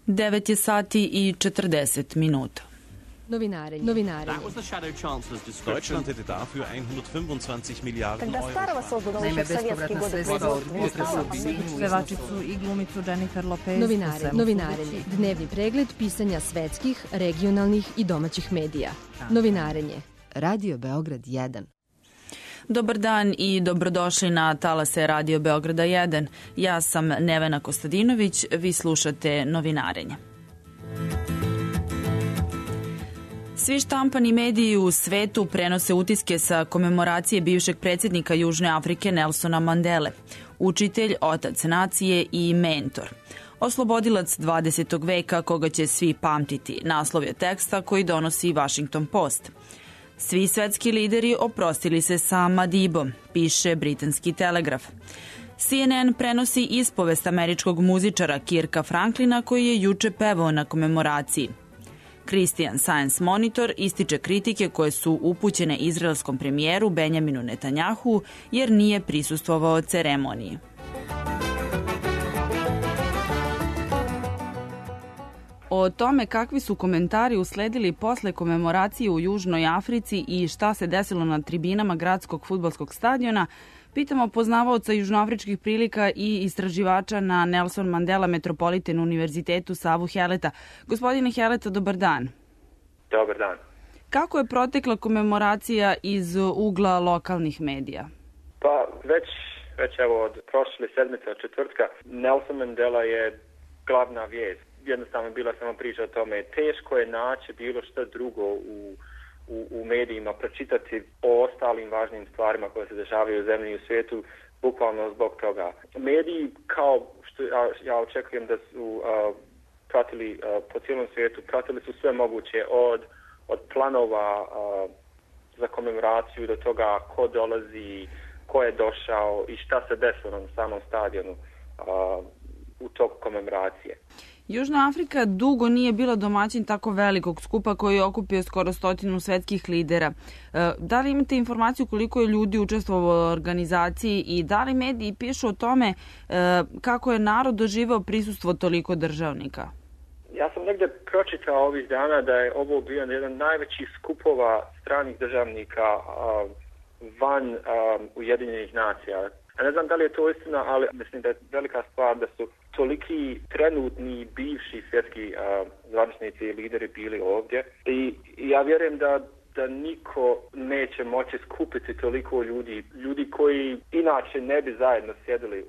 9 je sati i 40 minuta. Novinari. Deutschland hätte dafür 125 Milliarden Euro. Naime, bespovratna sredstva od potresa Pevačicu i glumicu Jennifer Lopez. Novinarenje. Dnevni pregled pisanja svetskih, regionalnih i domaćih medija. Novinarenje. Radio Beograd 1. Dobar dan i dobrodošli na talase Radio Beograda 1. Ja sam Nevena Kostadinović, vi slušate Novinarenje. Svi štampani mediji u svetu prenose utiske sa komemoracije bivšeg predsjednika Južne Afrike Nelsona Mandele, učitelj, otac nacije i mentor. Oslobodilac 20. veka koga će svi pamtiti, naslov je teksta koji donosi Washington Post. Svi svetski lideri oprostili se sa Madibom, piše britanski Telegraf. CNN prenosi ispovest američkog muzičara Kirka Franklina koji je juče pevao na komemoraciji. Christian Science Monitor ističe kritike koje su upućene izraelskom premijeru Benjaminu Netanjahu jer nije prisustvovao ceremoniji. O tome kakvi su komentari usledili posle komemoracije u Južnoj Africi i šta se desilo na tribinama gradskog fudbalskog stadiona, pitamo poznavaoca južnoafričkih prilika i istraživača na Nelson Mandela Metropolitan Univerzitetu Savu Heleta. Gospodine Heleta, dobar dan. Dobar dan. Kako je protekla komemoracija iz ugla lokalnih medija? Pa već evo od prošle sedmice, od četvrtka, Nelson Mandela je glavna vijest. Jednostavno bila samo priča o tome. Teško je naći bilo što drugo u medijima, pročitati o ostalim važnim stvarima koje se dešavaju u zemlji i u svijetu, bukvalno zbog toga. Mediji, kao što ja očekujem da su pratili po cijelom svijetu, pratili su sve moguće od planova za komemoraciju do toga ko dolazi, ko je došao i šta se desilo na samom stadionu u toku komemoracije. Južna Afrika dugo nije bila domaćin tako velikog skupa koji je okupio skoro 100 svetskih lidera. Da li imate informaciju koliko je ljudi učestvovalo u organizaciji i da li mediji pišu o tome kako je narod doživao prisustvo toliko državnika? Ja sam negdje pročitao ovih dana da je ovo bio jedan najvećih skupova stranih državnika van Ujedinjenih nacija. Ja ne znam da li je to istina, ali mislim da je velika stvar da su toliki trenutni bivši svjetski zvaničnici i lideri bili ovdje. I ja vjerujem da niko neće moći skupiti toliko ljudi koji inače ne bi zajedno sjedili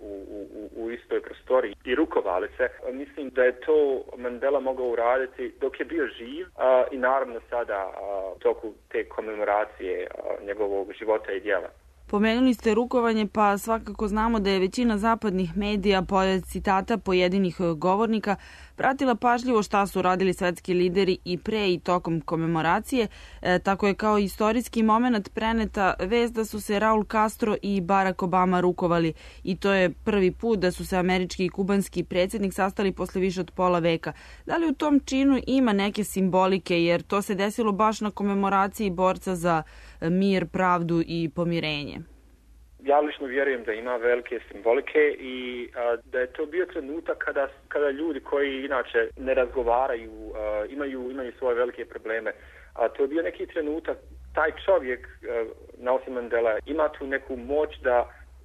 u istoj prostoriji i rukovali se. Mislim da je to Mandela mogao uraditi dok je bio živ i naravno sada u toku te komemoracije njegovog života i djela. Pomenuli ste rukovanje, pa svakako znamo da je većina zapadnih medija, pored citata pojedinih govornika, pratila pažljivo šta su radili svetski lideri i pre i tokom komemoracije. Tako je kao istorijski moment preneta vest da su se Raul Castro i Barack Obama rukovali i to je prvi put da su se američki i kubanski predsjednik sastali posle više od pola veka. Da li u tom činu ima neke simbolike, jer to se desilo baš na komemoraciji borca za mir, pravdu i pomirenje? Ja lično vjerujem da ima velike simbolike i da je to bio trenutak kada ljudi koji inače ne razgovaraju, imaju svoje velike probleme. A to je bio neki trenutak, taj čovjek, Nelson Mandela, ima tu neku moć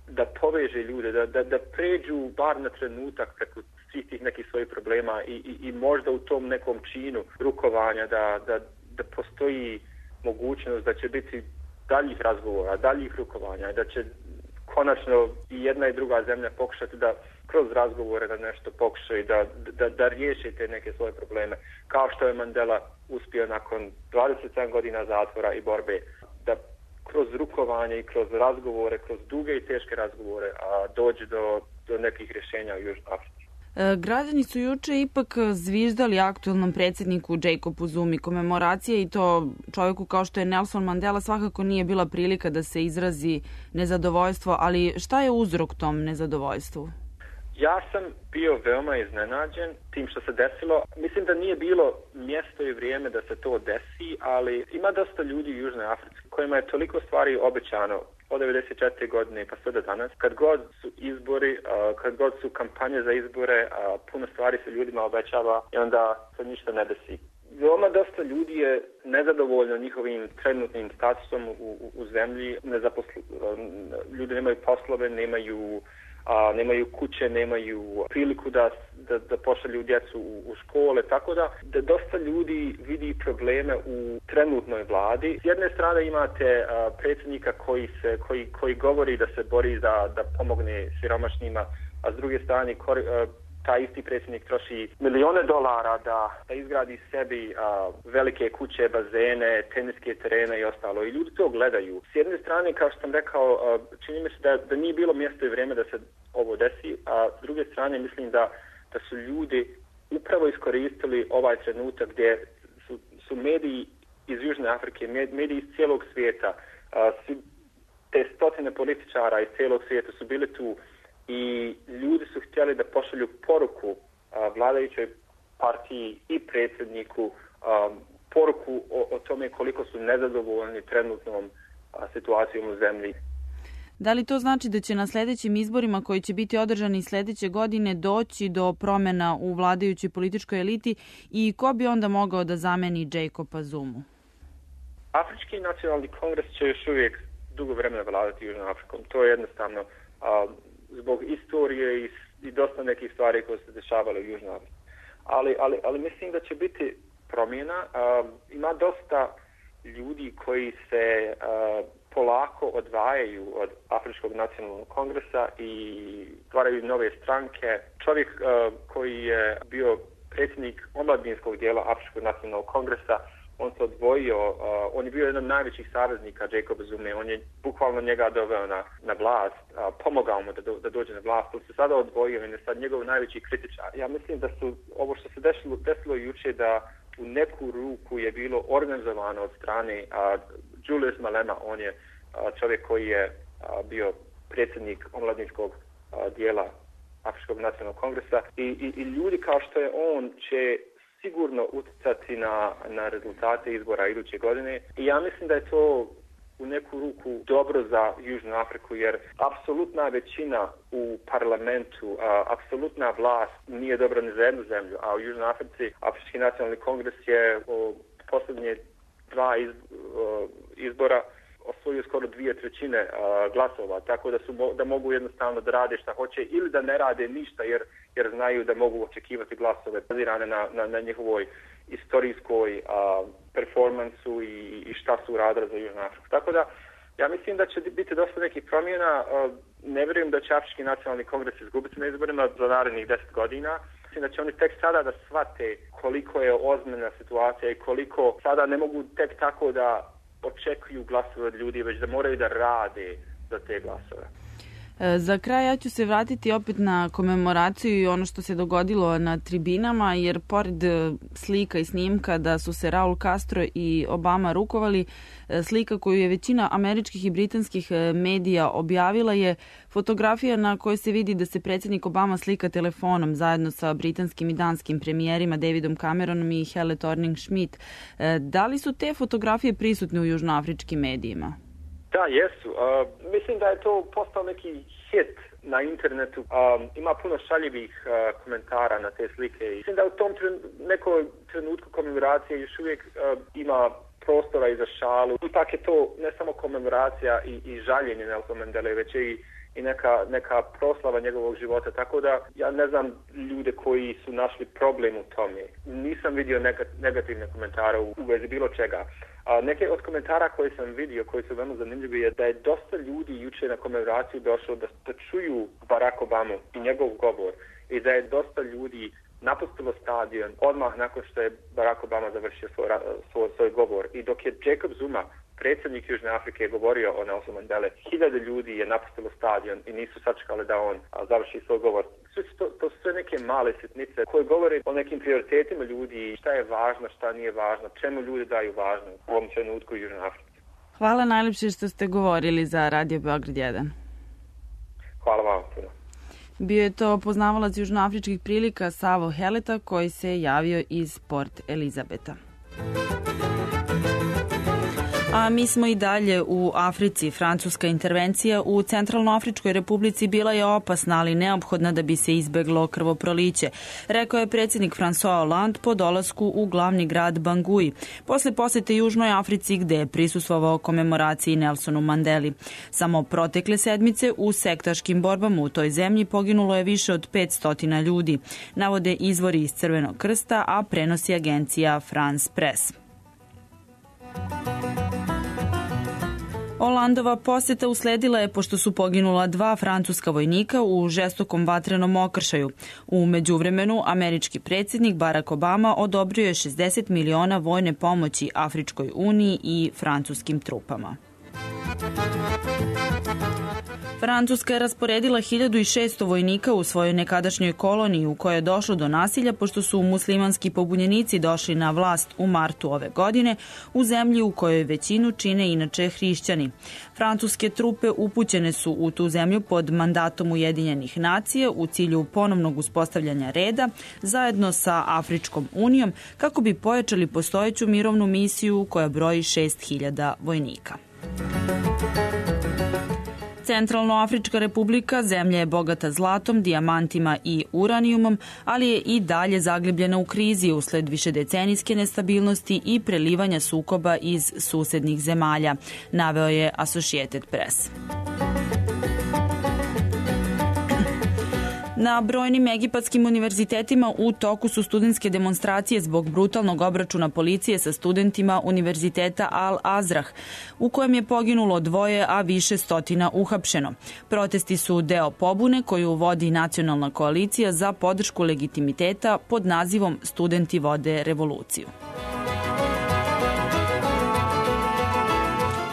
da poveže ljude, da pređu bar na trenutak preko svih tih nekih svojih problema i možda u tom nekom činu rukovanja da postoji mogućnost da će biti daljih razgovora, daljih rukovanja, da će konačno i jedna i druga zemlja pokušati da kroz razgovore da nešto pokušaju, da riješe te neke svoje probleme, kao što je Mandela uspio nakon 27 godina zatvora i borbe, da kroz rukovanje i kroz razgovore, kroz duge i teške razgovore dođe do nekih rješenja u Južnoj Africi. Građani su juče ipak zviždali aktualnom predsjedniku Jacobu Zumi. Komemoracije i to čovjeku kao što je Nelson Mandela svakako nije bila prilika da se izrazi nezadovoljstvo, ali šta je uzrok tom nezadovoljstvu? Ja sam bio veoma iznenađen tim što se desilo. Mislim da nije bilo mjesto i vrijeme da se to desi, ali ima dosta ljudi u Južnoj Africi kojima je toliko stvari obećano od 94. godine pa sve do danas. Kad god su izbori, kad god su kampanje za izbore, puno stvari se ljudima obećava i onda se ništa ne desi. Veoma dosta ljudi je nezadovoljno njihovim trenutnim statusom u zemlji. Ljudi nemaju poslove, nemaju kuće, nemaju priliku da pošalju djecu u škole, tako da dosta ljudi vidi probleme u trenutnoj vladi. S jedne strane imate predsjednika koji govori da se bori da pomogne siromašnima, a s druge strane taj isti predsjednik troši milijone dolara da izgradi sebi velike kuće, bazene, teniske terene i ostalo. I ljudi to gledaju. S jedne strane, kao što sam rekao, čini mi se da nije bilo mjesto i vrijeme da se ovo desi, a s druge strane mislim da su ljudi upravo iskoristili ovaj trenutak gdje su mediji iz Južne Afrike, mediji iz cijelog svijeta, te stotine političara iz cijelog svijeta su bili tu i ljudi su htjeli da pošalju poruku vladajućoj partiji i predsjedniku, poruku o tome koliko su nezadovoljni trenutnom situacijom u zemlji. Da li to znači da će na sljedećim izborima koji će biti održani sljedeće godine doći do promjena u vladajućoj političkoj eliti i ko bi onda mogao da zameni Jacoba Zumu? Afrički nacionalni kongres će još uvijek dugo vremena vladati Južnom Afrikom. To je jednostavno zbog istorije i dosta nekih stvari koje se dešavale u Južnoj Africi. Ali mislim da će biti promjena. Ima dosta ljudi koji se polako odvajaju od Afričkog nacionalnog kongresa i stvaraju nove stranke. Čovjek koji je bio predsjednik omladinskog dijela Afričkog nacionalnog kongresa, on se odvojio, on je bio jedan od najvećih saveznika Jacoba Zume, on je bukvalno njega doveo na vlast, pomogao mu da dođe na vlast, on se sada odvojio i je sad njegov najveći kritičar. Ja mislim da su ovo što se desilo jučer da u neku ruku je bilo organizovano od strane Julius Malema, on je čovjek koji je bio predsjednik omladinskog dijela Afričkog nacionalnog kongresa i ljudi kao što je on će sigurno utjecati na rezultate izbora iduće godine i ja mislim da je to u neku ruku dobro za Južnu Afriku jer apsolutna većina u parlamentu, apsolutna vlast nije dobra ni za jednu zemlju, a u Južnoj Africi Afrički nacionalni kongres je u posljednje dva izbora osvojio skoro 2/3 glasova, tako da mogu jednostavno da rade šta hoće ili da ne rade ništa jer znaju da mogu očekivati glasove bazirane na njihovoj istorijskoj performansu i šta su radili za Južnu Afriku. Tako da ja mislim da će biti dosta nekih promjena. Ne vjerujem da će Afrički nacionalni kongres izgubiti na izborima za narednih 10 godina. Mislim da će oni tek sada da shvate koliko je ozbiljna situacija i koliko sada ne mogu tek tako da očekuju glasove od ljudi, već da moraju da rade za te glasove. Za kraj ja ću se vratiti opet na komemoraciju i ono što se dogodilo na tribinama, jer pored slika i snimka da su se Raul Castro i Obama rukovali, slika koju je većina američkih i britanskih medija objavila je fotografija na kojoj se vidi da se predsjednik Obama slika telefonom zajedno sa britanskim i danskim premijerima Davidom Cameronom i Helle Thorning-Schmidt. Da li su te fotografije prisutne u južnoafričkim medijima? Da, jesu. Mislim da je to postao neki hit na internetu. Ima puno šaljivih komentara na te slike. Mislim da u tom nekoj trenutku komemoracije još uvijek ima prostora i za šalu. Ipak je to ne samo komemoracija i žaljenje Nelson Mandele, već i neka proslava njegovog života. Tako da ja ne znam ljude koji su našli problem u tome. Nisam vidio negativne komentare u vezi bilo čega. Neke od komentara koje sam vidio, koji su veoma zanimljivi, je da je dosta ljudi jučer na komemoraciju došlo da čuju Barack Obama i njegov govor i da je dosta ljudi napustilo stadion odmah nakon što je Barack Obama završio svoj govor. I dok je Jacob Zuma, predsjednik Južne Afrike, govorio o Nelson Mandele, 1000 ljudi je napustilo stadion i nisu sačekali da on završi svoj govor. To su sve neke male sitnice koje govore o nekim prioritetima ljudi, šta je važno, šta nije važno, čemu ljudi daju važno u ovom trenutku u Južnoj Africi. Hvala najljepše što ste govorili za Radio Beograd 1. Hvala vam puno. Bio je to poznavalac južnoafričkih prilika Savo Heleta koji se javio iz Port Elizabeta. A mi smo i dalje u Africi. Francuska intervencija u Centralnoafričkoj republici bila je opasna, ali neophodna da bi se izbeglo krvoproliće, rekao je predsjednik François Hollande po dolasku u glavni grad Bangui, posle posete Južnoj Africi gde je prisustvovao komemoraciji Nelsonu Mandeli. Samo protekle sedmice u sektaškim borbama u toj zemlji poginulo je više od 500 ljudi, navode izvori iz Crvenog krsta, a prenosi agencija France Press. Hollandova posjeta usledila je pošto su poginula 2 francuska vojnika u žestokom vatrenom okršaju. U međuvremenu, američki predsjednik Barack Obama odobrio je 60 miliona vojne pomoći Afričkoj uniji i francuskim trupama. Francuska je rasporedila 1600 vojnika u svojoj nekadašnjoj koloniji u kojoj je došlo do nasilja pošto su muslimanski pobunjenici došli na vlast u martu ove godine u zemlji u kojoj većinu čine inače hrišćani. Francuske trupe upućene su u tu zemlju pod mandatom Ujedinjenih nacija u cilju ponovnog uspostavljanja reda zajedno sa Afričkom unijom kako bi pojačali postojeću mirovnu misiju koja broji 6000 vojnika. Centralnoafrička republika zemlja je bogata zlatom, dijamantima i uranijumom, ali je i dalje zaglibljena u krizi usled višedecenijske nestabilnosti i prelivanja sukoba iz susednih zemalja, naveo je Associated Press. Na brojnim egipatskim univerzitetima u toku su studentske demonstracije zbog brutalnog obračuna policije sa studentima univerziteta Al-Azrah, u kojem je poginulo 2, a više stotina uhapšeno. Protesti su deo pobune koju vodi Nacionalna koalicija za podršku legitimiteta pod nazivom Studenti vode revoluciju.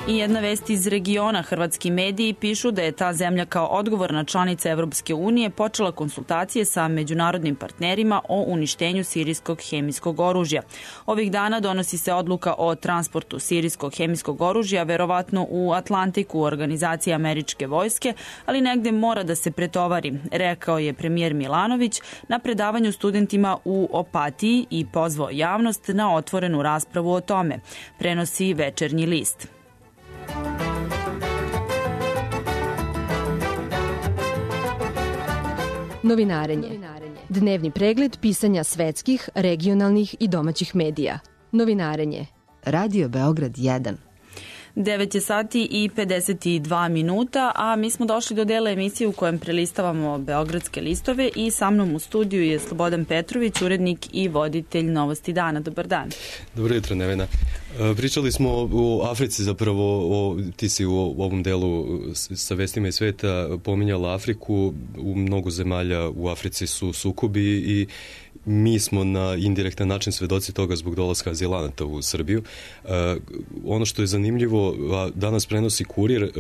I jedna vest iz regiona. Hrvatski mediji pišu da je ta zemlja kao odgovorna članica Evropske unije počela konsultacije sa međunarodnim partnerima o uništenju sirijskog hemijskog oružja. Ovih dana donosi se odluka o transportu sirijskog hemijskog oružja, verovatno u Atlantiku u organizaciji američke vojske, ali negde mora da se pretovari, rekao je premijer Milanović na predavanju studentima u Opatiji i pozvao javnost na otvorenu raspravu o tome, prenosi Večernji list. Novinarenje. Dnevni pregled pisanja svetskih, regionalnih i domaćih medija. Novinarenje. Radio Beograd 1. 9 je sati i 52 minuta, a mi smo došli do dela emisije u kojem prelistavamo beogradske listove i sa mnom u studiju je Slobodan Petrović, urednik i voditelj Novosti dana. Dobar dan. Dobro jutro, Nevena. Pričali smo u Africi zapravo, ti si u ovom delu sa vestima iz sveta pominjala Afriku, u mnogo zemalja u Africi su sukobi i mi smo na indirektan način svedoci toga zbog dolaska azilanata u Srbiju. Ono što je zanimljivo, danas prenosi Kurir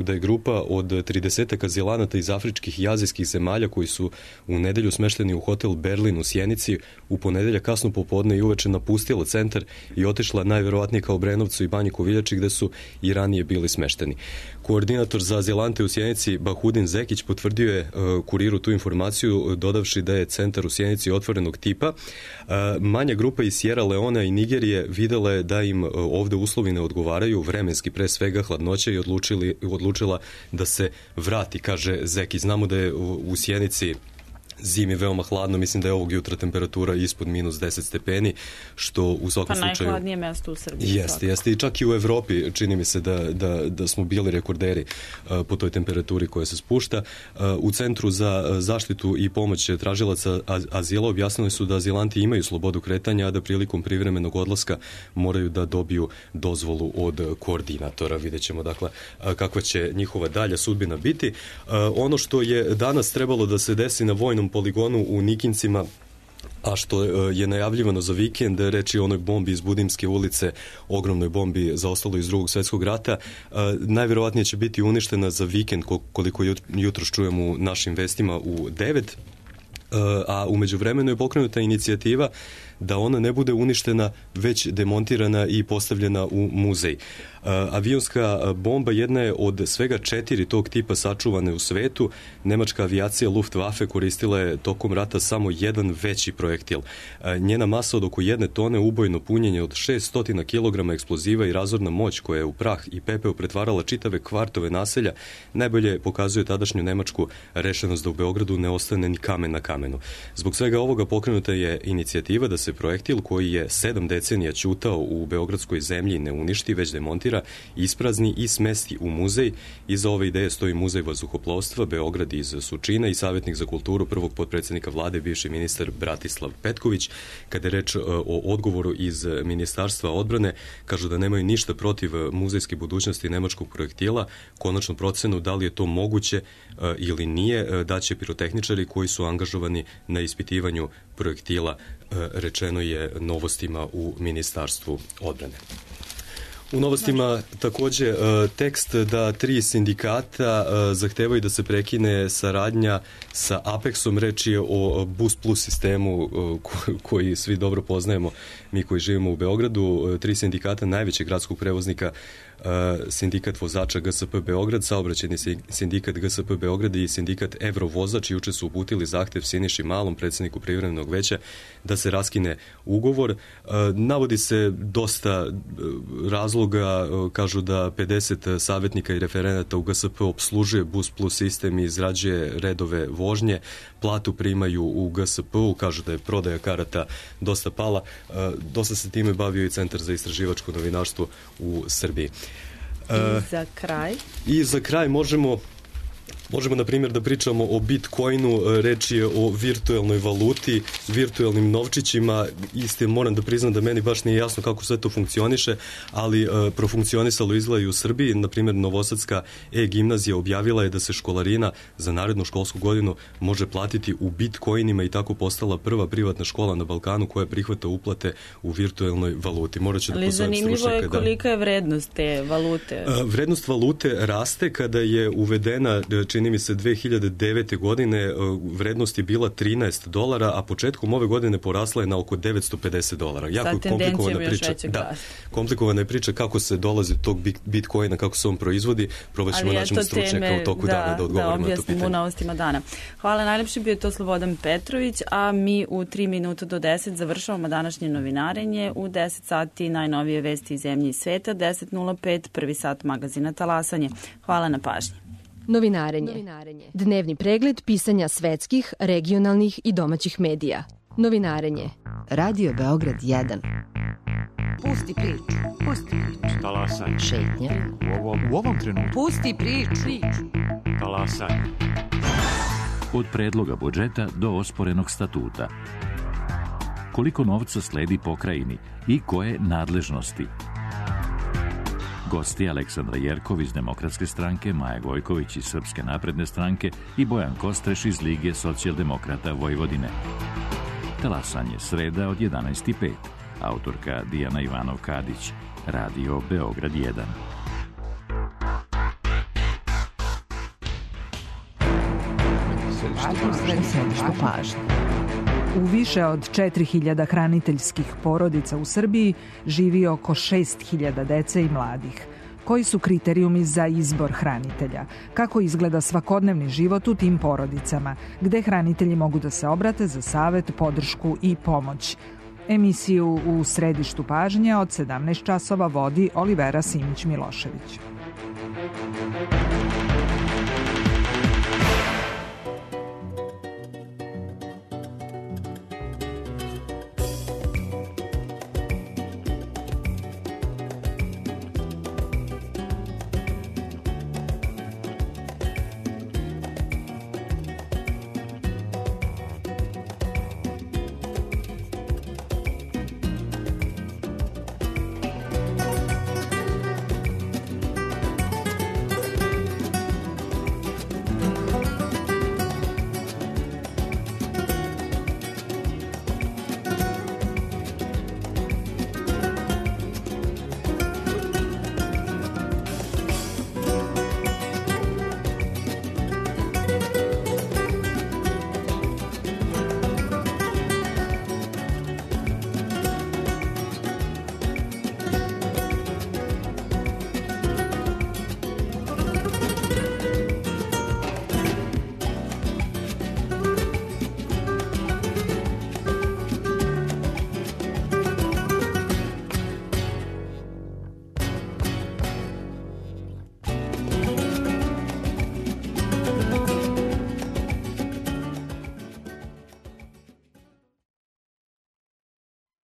da je grupa od 30 azilanata iz afričkih i azijskih zemalja koji su u nedelju smešteni u hotel Berlin u Sjenici u ponedeljak kasno popodne i uveče napustila centar i otišla najverovatnije ka Obrenovcu i Banji Koviljači gde su i ranije bili smešteni. Koordinator za azilante u Sjenici Bahudin Zekić potvrdio je Kuriru tu informaciju dodavši da je centar u Sjenici otvorenog tipa. Manja grupa iz Sierra Leona i Nigerije videla je da im ovde uslovi ne odgovaraju, vremenski pre svega hladnoća i odlučila da se vrati, kaže Zekić. Znamo da je u Sjenici zimi veoma hladno, mislim da je ovog jutra temperatura ispod minus 10 stepeni, što u svakom slučaju... Pa najhladnije mesto u Srbiji. Jeste, i čak i u Evropi čini mi se da smo bili rekorderi po toj temperaturi koja se spušta. U Centru za zaštitu i pomoć tražilaca azila objasnili su da azilanti imaju slobodu kretanja, a da prilikom privremenog odlaska moraju da dobiju dozvolu od koordinatora. Vidjet ćemo dakle kakva će njihova dalja sudbina biti. Ono što je danas trebalo da se desi na vojnom poligonu u Nikincima, a što je najavljivano za vikend, reč je o onoj bombi iz Budimske ulice, ogromnoj bombi zaostalo iz Drugog svjetskog rata, najverovatnije će biti uništena za vikend, koliko jutros čujemo u našim vestima u 9. a u međuvremenu je pokrenuta inicijativa da ona ne bude uništena, već demontirana i postavljena u muzej. Avionska bomba jedna je od svega 4 tog tipa sačuvane u svetu. Nemačka avijacija Luftwaffe koristila je tokom rata samo jedan veći projektil. Njena masa od oko 1 tone, ubojno punjenje od 600 kg eksploziva i razorna moć koja je u prah i pepeo pretvarala čitave kvartove naselja najbolje pokazuje tadašnju nemačku rešenost da u Beogradu ne ostane ni kamen na kamenu. Zbog svega ovoga pokrenuta je inicijativa da se projektil koji je 7 decenija ćutao u beogradskoj zemlji ne uništi, već demontira, isprazni i smesti u muzej. Iza ove ideje stoji Muzej vazduhoplovstva Beograd iz Surčina i savjetnik za kulturu prvog potpredsjednika vlade, bivši ministar Bratislav Petković. Kada je reč o odgovoru iz Ministarstva odbrane, kažu da nemaju ništa protiv muzejske budućnosti nemačkog projektila. Konačnu procenu da li je to moguće ili nije daće pirotehničari koji su angažovani na ispitivanju projektila, rečeno je Novostima u Ministarstvu odbrane. U Novostima također tekst da 3 sindikata zahtevaju da se prekine saradnja sa Apexom. Reč je o Bus Plus sistemu koji svi dobro poznajemo, mi koji živimo u Beogradu. 3 sindikata najvećeg gradskog prevoznika, sindikat vozača GSP Beograd, saobraćajni sindikat GSP Beograd i sindikat Evrovozač juče su uputili zahtev Siniši Malom, predsjedniku privremenog veća, da se raskine ugovor. Navodi se dosta razloga, kažu da 50 savjetnika i referenata u GSP obslužuje Bus Plus sistem i izrađuje redove vožnje, platu primaju u GSP-u, kažu da je prodaja karata dosta pala. Dosta se time bavio i Centar za istraživačko novinarstvo u Srbiji. I za kraj možemo na primjer da pričamo o Bitcoinu. Reč je o virtualnoj valuti, virtualnim novčićima. Isto moram da priznam da meni baš nije jasno kako sve to funkcioniše, ali profunkcionisalo izgleda i u Srbiji. Na primjer, Novosadska gimnazija objavila je da se školarina za narednu školsku godinu može platiti u Bitcoinima i tako postala prva privatna škola na Balkanu koja prihvata uplate u virtualnoj valuti. Ali zanimljivo je kolika je vrednost te valute? Vrednost valute raste. Kada je uvedena, čini mi se 2009. godine, vrednost je bila $13, a početkom ove godine porasla je na oko $950. Jako komplikovana priča. Komplikovana je priča kako se dolazi do tog Bitcoina, kako se on proizvodi. Probat ćemo naći stručnjaka u toku dana da odgovorimo na to pitanje. U Novostima dana. Hvala, najlepše bio to Slobodan Petrović, a mi u 3 minuta do 10 završavamo današnje novinarenje. U 10 sati najnovije vesti iz zemlje i sveta, 10:05 prvi sat magazina Talasanje. Hvala na pažnji. Novinarenje. Dnevni pregled pisanja svetskih, regionalnih i domaćih medija. Novinarenje. Radio Beograd 1. Pusti priču. Talasanje. Šetnja. U ovom trenutku. Pusti priču. Talasanje. Od predloga budžeta do osporenog statuta. Koliko novca sledi pokrajini i koje nadležnosti? Gosti Aleksandra Jerkov iz Demokratske stranke, Maja Gojković iz Srpske napredne stranke i Bojan Kostreš iz Lige socijaldemokrata Vojvodine. Talasanje, sreda od 11:05. Autorka Dijana Ivanov-Kadić. Radio Beograd 1. U više od 4.000 hraniteljskih porodica u Srbiji živi oko 6.000 dece i mladih. Koji su kriterijumi za izbor hranitelja? Kako izgleda svakodnevni život u tim porodicama? Gde hranitelji mogu da se obrate za savet, podršku i pomoć? Emisiju u središtu pažnje od 17 časova vodi Olivera Simić-Milošević.